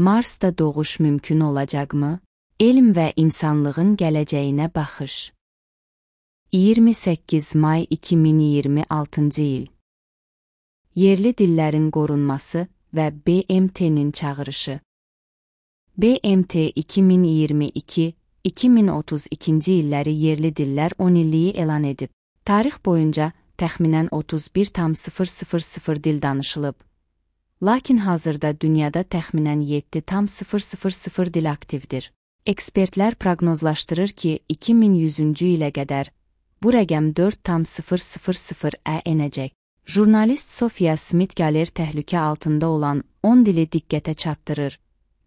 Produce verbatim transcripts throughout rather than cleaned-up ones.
Marsda doğuş mümkün olacaqmı? Elm və insanlığın gələcəyinə baxış. iyirmi səkkiz may iki min iyirmi altıncı il. Yerli dillərin qorunması və B M T'nin çağırışı. B M T iki min iyirmi iki - iki min otuz ikinci illəri yerli dillər on illiyi elan edib. Tarix boyunca təxminən otuz bir tam sıfır sıfır sıfır dil danışılıb. Lakin hazırda dünyada təxminən yeddi tam sıfır sıfır sıfır dil aktivdir. Ekspertlər proqnozlaşdırır ki, iki min yüzüncü ilə qədər bu rəqəm dörd tam sıfır sıfır sıfıra enəcək. Jurnalist Sophia Smith Galer təhlükə altında olan on dili diqqətə çatdırır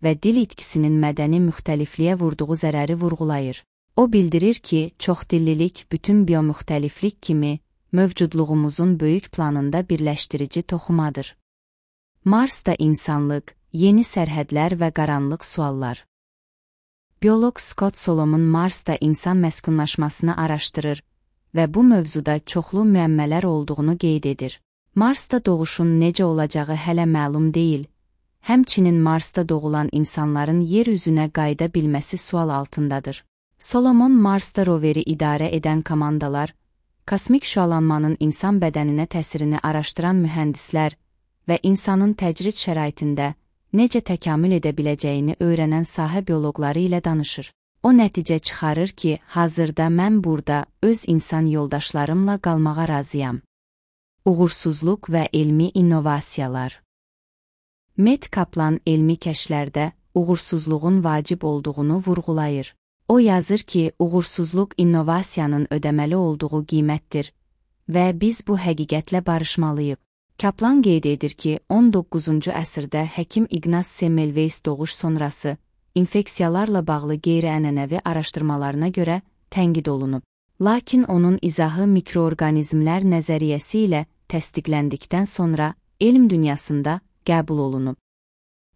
və dil itkisinin mədəni müxtəlifliyə vurduğu zərəri vurğulayır. O bildirir ki, çoxdillilik bütün biomüxtəliflik kimi mövcudluğumuzun böyük planında birləşdirici toxumadır. Marsda insanlıq, yeni sərhədlər və qaranlıq suallar. Bioloq Scott Solomon Marsda insan məskunlaşmasını araşdırır və bu mövzuda çoxlu müəmmələr olduğunu qeyd edir. Marsda doğuşun necə olacağı hələ məlum deyil, həmçinin Marsda doğulan insanların yer üzünə qayıda bilməsi sual altındadır. Solomon Marsda roveri idarə edən komandalar, kosmik şüalanmanın insan bədəninə təsirini araşdıran mühəndislər və insanın təcrid şəraitində necə təkamül edə biləcəyini öyrənən sahə bioloqları ilə danışır. O nəticə çıxarır ki, hazırda mən burada öz insan yoldaşlarımla qalmağa razıyam. Uğursuzluq və elmi innovasiyalar. Matt Kaplan elmi kəşflərdə uğursuzluğun vacib olduğunu vurğulayır. O yazır ki, uğursuzluq innovasiyanın ödəməli olduğu qiymətdir və biz bu həqiqətlə barışmalıyıq. Kaplan qeyd edir ki, on doqquzuncu əsrdə həkim Ignaz Semmelweis doğuş sonrası infeksiyalarla bağlı qeyri-ənənəvi araşdırmalarına görə tənqid olunub. Lakin onun izahı mikroorqanizmlər nəzəriyyəsi ilə təsdiqləndikdən sonra elm dünyasında qəbul olunub.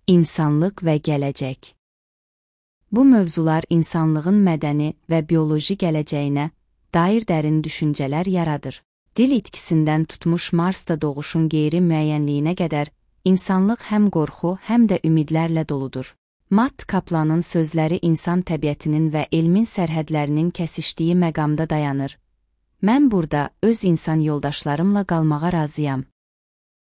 İnsanlıq və gələcək. Bu mövzular insanlığın mədəni və bioloji gələcəyinə dair dərin düşüncələr yaradır. Dil itkisindən tutmuş Marsda doğuşun qeyri-müəyyənliyinə qədər insanlıq həm qorxu, həm də ümidlərlə doludur. Matt Kaplanın sözləri insan təbiətinin və elmin sərhədlərinin kəsişdiyi məqamda dayanır. Mən burada öz insan yoldaşlarımla qalmağa razıyam.